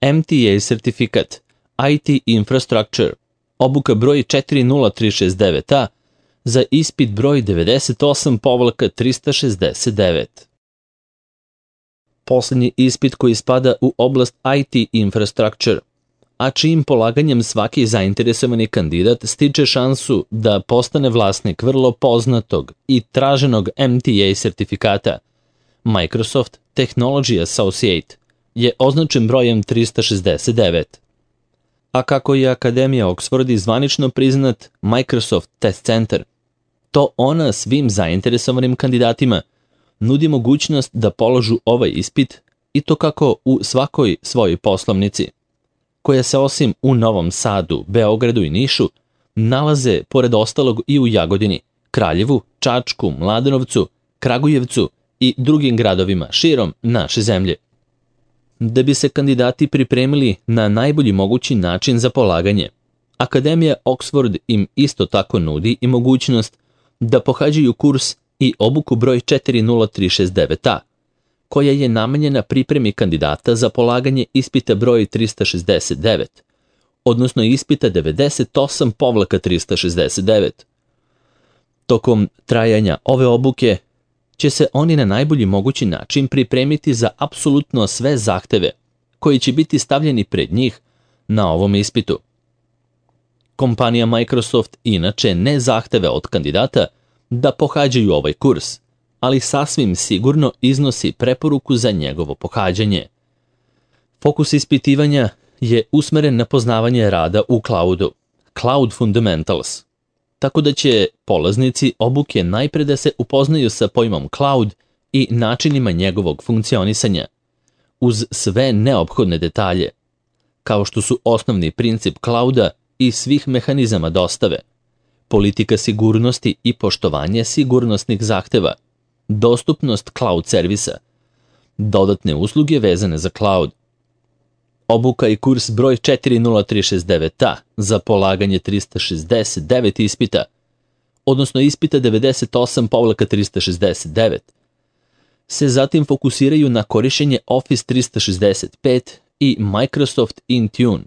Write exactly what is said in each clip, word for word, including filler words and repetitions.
M T A sertifikat, I T Infrastructure, obuka broj četiri nula tri šest devet A za ispit broj devedeset osam trista šezdeset devet. Poslednji ispit koji spada u oblast I T Infrastructure, a čijim polaganjem svaki zainteresovani kandidat stiče šansu da postane vlasnik vrlo poznatog i traženog M T A sertifikata, Microsoft Technology Associate, je označen brojem trista šezdeset devet. A kako je Akademija Oxford i zvanično priznat Microsoft Test Center, to ona svim zainteresovanim kandidatima nudi mogućnost da položu ovaj ispit i to kako u svakoj svojoj poslovnici, koja se osim u Novom Sadu, Beogradu i Nišu, nalaze pored ostalog i u Jagodini, Kraljevu, Čačku, Mladenovcu, Kragujevcu i drugim gradovima širom naše zemlje. Da bi se kandidati pripremili na najbolji mogući način za polaganje, Akademija Oxford im isto tako nudi i mogućnost da pohađaju kurs i obuku broj četiri nula tri šest devet A, koja je namenjena pripremi kandidata za polaganje ispita broj trista šezdeset devet, odnosno ispita devedeset osam trista šezdeset devet. Tokom trajanja ove obuke će se oni na najbolji mogući način pripremiti za apsolutno sve zahteve koji će biti stavljeni pred njih na ovom ispitu. Kompanija Microsoft inače ne zahteve od kandidata da pohađaju ovaj kurs, ali sasvim sigurno iznosi preporuku za njegovo pohađanje. Fokus ispitivanja je usmeren na poznavanje rada u cloudu, Cloud Fundamentals, tako da će polaznici obuke najpre da se upoznaju sa pojmom cloud i načinima njegovog funkcionisanja, uz sve neophodne detalje, kao što su osnovni princip clouda i svih mehanizama dostave, politika sigurnosti i poštovanje sigurnosnih zahteva, dostupnost cloud servisa, dodatne usluge vezane za cloud. Obuka i kurs broj četiri nula tri šest devet A za polaganje trista šezdeset devet ispita, odnosno ispita devedeset osam trista šezdeset devet, se zatim fokusiraju na korišćenje Office trista šezdeset pet i Microsoft Intune,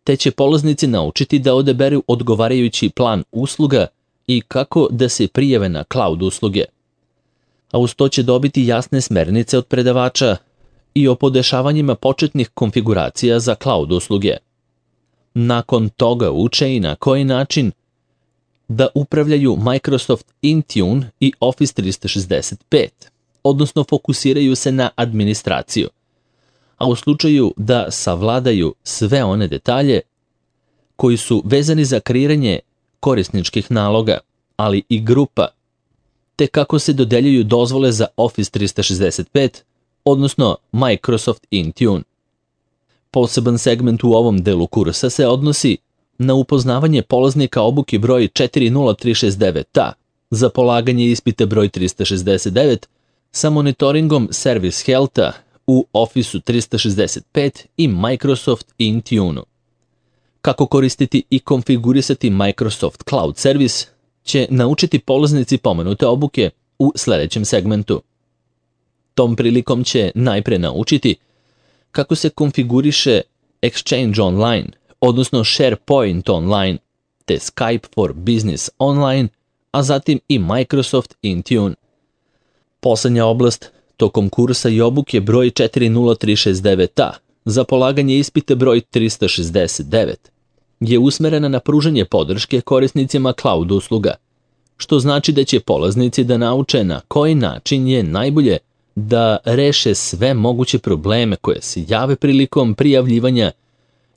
te će polaznici naučiti da odaberu odgovarajući plan usluga i kako da se prijave na cloud usluge. A uz to će dobiti jasne smernice od predavača i o podešavanjima početnih konfiguracija za cloud usluge. Nakon toga uče i na koji način da upravljaju Microsoft Intune i Office trista šezdeset pet, odnosno fokusiraju se na administraciju, a u slučaju da savladaju sve one detalje koji su vezani za kreiranje korisničkih naloga, ali i grupa, te kako se dodeljuju dozvole za Office trista šezdeset pet, odnosno Microsoft Intune. Poseban segment u ovom delu kursa se odnosi na upoznavanje polaznika obuke broj četiri nula tri šest devet A za polaganje ispita broj trista šezdeset devet sa monitoringom Service Healtha u Office trista šezdeset pet i Microsoft Intune. Kako koristiti i konfigurisati Microsoft Cloud Service će naučiti polaznici pomenute obuke u sledećem segmentu. Tom prilikom će najpre naučiti kako se konfiguriše Exchange Online, odnosno SharePoint Online, te Skype for Business Online, a zatim i Microsoft Intune. Poslednja oblast tokom kursa i obuke broj četiri nula tri šest devet A za polaganje ispita broj trista šezdeset devet je usmerena na pružanje podrške korisnicima cloud usluga, što znači da će polaznici da nauče na koji način je najbolje da reše sve moguće probleme koje se jave prilikom prijavljivanja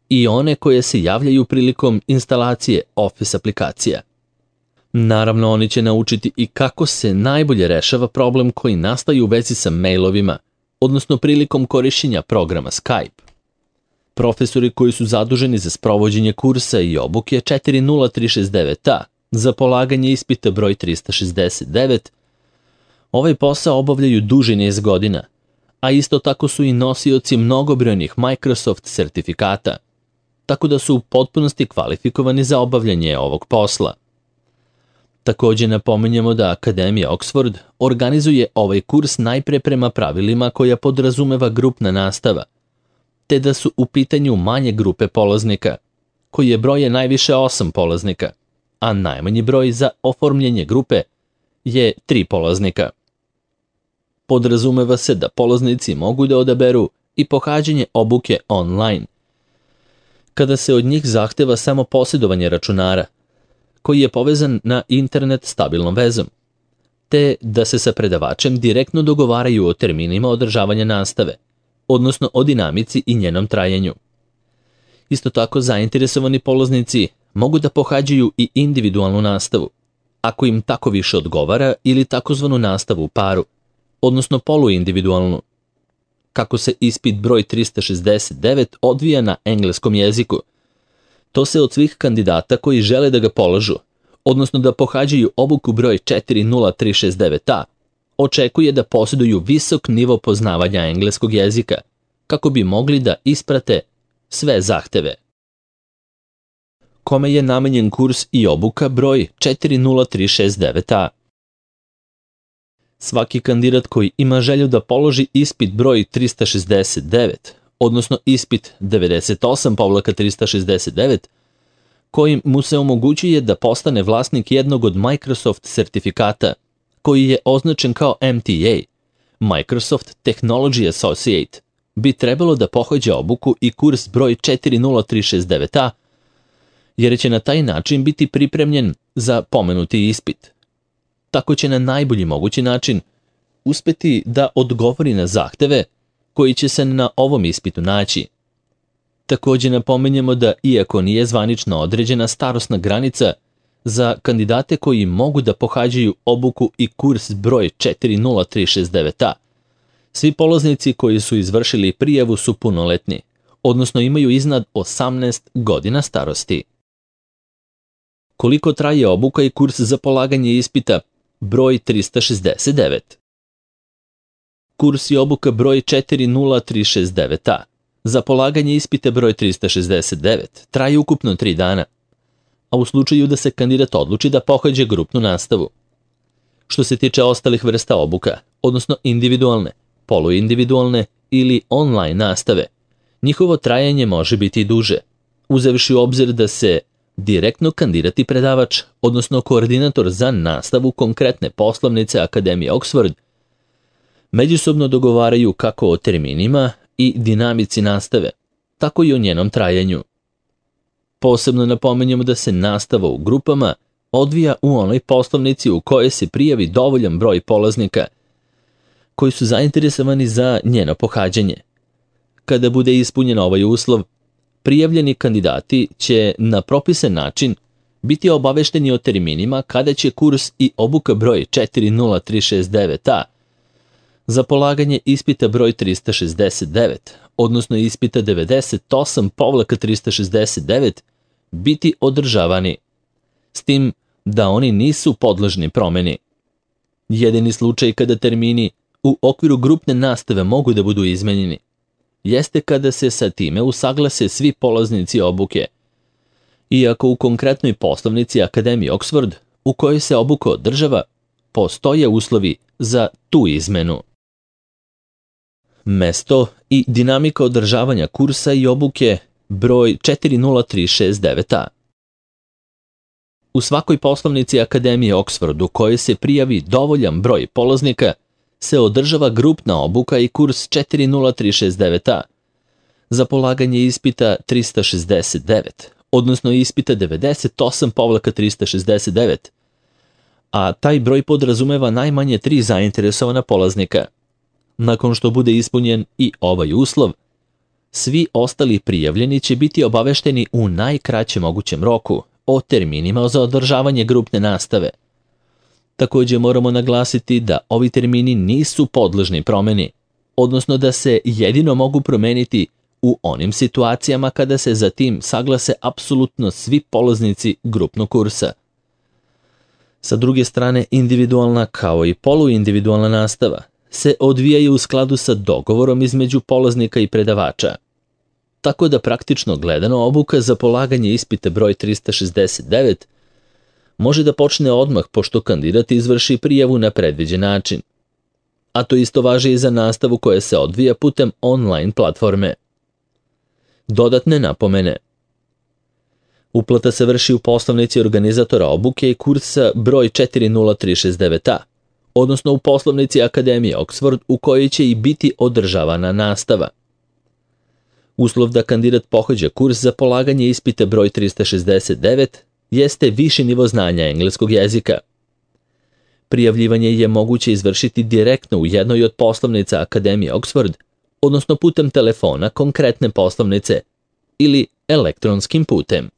i one koje se javljaju prilikom instalacije Office aplikacija. Naravno, oni će naučiti i kako se najbolje rešava problem koji nastaje u vezi sa mailovima, odnosno prilikom korišćenja programa Skype. Profesori koji su zaduženi za sprovođenje kursa i obuke četiri nula tri šest devet A za polaganje ispita broj trista šezdeset devet, ovaj posao obavljaju duži niz godina, a isto tako su i nosioci mnogobrojnih Microsoft sertifikata, tako da su u potpunosti kvalifikovani za obavljanje ovog posla. Takođe napominjemo da Akademija Oxford organizuje ovaj kurs najpre prema pravilima koja podrazumeva grupna nastava, te da su u pitanju manje grupe polaznika, koji je broje najviše osam polaznika, a najmanji broj za oformljenje grupe je tri polaznika. Podrazumeva se da polaznici mogu da odaberu i pohađanje obuke online, kada se od njih zahteva samo posjedovanje računara, koji je povezan na internet stabilnom vezom, te da se sa predavačem direktno dogovaraju o terminima održavanja nastave, odnosno o dinamici i njenom trajanju. Isto tako, zainteresovani polaznici mogu da pohađaju i individualnu nastavu, ako im tako više odgovara, ili takozvanu nastavu u paru, odnosno poluindividualnu. Kako se ispit broj trista šezdeset devet odvija na engleskom jeziku, to se od svih kandidata koji žele da ga polažu, odnosno da pohađaju obuku broj četiri nula tri šest devet a, očekuje da posjeduju visok nivo poznavanja engleskog jezika, kako bi mogli da isprate sve zahteve. Kome je namenjen kurs i obuka broj četiri nula tri šest devet a? Svaki kandidat koji ima želju da položi ispit broj trista šezdeset devet, odnosno ispit devedeset osam trista šezdeset devet, kojim mu se omogućuje da postane vlasnik jednog od Microsoft sertifikata, koji je označen kao M T A, Microsoft Technology Associate, bi trebalo da pohađa obuku i kurs broj četiri nula tri šest devet a, jer će na taj način biti pripremljen za pomenuti ispit. Tako će na najbolji mogući način uspeti da odgovori na zahteve koji će se na ovom ispitu naći. Također napominjemo da, iako nije zvanično određena starosna granica za kandidate koji mogu da pohađaju obuku i kurs broj četiri nula tri šest devet a, svi polaznici koji su izvršili prijavu su punoletni, odnosno imaju iznad osamnaest godina starosti. Koliko traje obuka i kurs za polaganje ispita broj trista šezdeset devet? Kurs i obuka broj četiri nula tri šest devet a za polaganje ispita broj trista šezdeset devet traje ukupno tri dana, a u slučaju da se kandidat odluči da pohađa grupnu nastavu. Što se tiče ostalih vrsta obuka, odnosno individualne, poluindividualne ili online nastave, njihovo trajanje može biti i duže, uzevši u obzir da se direktno kandidat i predavač, odnosno koordinator za nastavu konkretne poslovnice Akademije Oxford, međusobno dogovaraju kako o terminima i dinamici nastave, tako i o njenom trajanju. Posebno napominjemo da se nastava u grupama odvija u onoj poslovnici u kojoj se prijavi dovoljan broj polaznika koji su zainteresovani za njeno pohađanje. Kada bude ispunjen ovaj uslov, prijavljeni kandidati će na propisan način biti obavešteni o terminima kada će kurs i obuka broj četiri nula tri šest devet a za polaganje ispita broj trista šezdeset devet, odnosno ispita devedeset osam trista šezdeset devet, biti održavani, s tim da oni nisu podložni promeni. Jedini slučaj kada termini u okviru grupne nastave mogu da budu izmenjeni jeste kada se sa time usaglase svi polaznici obuke, iako u konkretnoj poslovnici Akademije Oxford, u kojoj se obuka održava, postoje uslovi za tu izmenu. Mesto i dinamika održavanja kursa i obuke broj četiri nula tri šest devet a. U svakoj poslovnici Akademije Oxford u kojoj se prijavi dovoljan broj polaznika se održava grupna obuka i kurs četiri nula tri šest devet a za polaganje ispita trista šezdeset devet, odnosno ispita devedeset osam trista šezdeset devet, a taj broj podrazumeva najmanje tri zainteresovana polaznika. Nakon što bude ispunjen i ovaj uslov, svi ostali prijavljeni će biti obavešteni u najkraćem mogućem roku o terminima za održavanje grupne nastave. Također moramo naglasiti da ovi termini nisu podložni promeni, odnosno da se jedino mogu promeniti u onim situacijama kada se za tim saglase apsolutno svi polaznici grupnog kursa. Sa druge strane, individualna kao i poluindividualna nastava se odvijaju u skladu sa dogovorom između polaznika i predavača. Tako da praktično gledano obuka za polaganje ispita broj trista šezdeset devet može da počne odmah pošto kandidat izvrši prijavu na predviđen način. A to isto važi i za nastavu koja se odvija putem online platforme. Dodatne napomene. Uplata se vrši u poslovnici organizatora obuke i kursa broj četiri nula tri šest devet a, odnosno u poslovnici Akademije Oxford u kojoj će i biti održavana nastava. Uslov da kandidat pohađa kurs za polaganje ispita broj trista šezdeset devet jeste viši nivo znanja engleskog jezika. Prijavljivanje je moguće izvršiti direktno u jednoj od poslovnica Akademije Oxford, odnosno putem telefona konkretne poslovnice ili elektronskim putem.